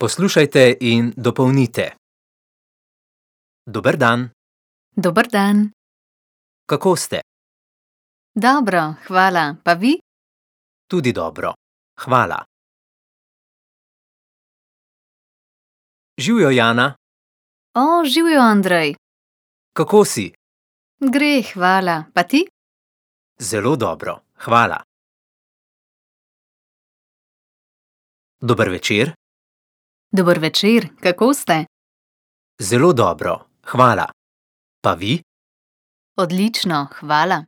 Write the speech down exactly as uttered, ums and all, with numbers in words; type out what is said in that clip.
Poslušajte in dopolnite. Dober dan. Dober dan. Kako ste? Dobro, hvala. Pa vi? Tudi dobro. Hvala. Živjo, Jana. O, živjo, Andrej. Kako si? Gre, hvala. Pa ti? Zelo dobro. Hvala. Dober večer. Dober večer, kako ste? Zelo dobro. Hvala. Pa vi? Odlično, hvala.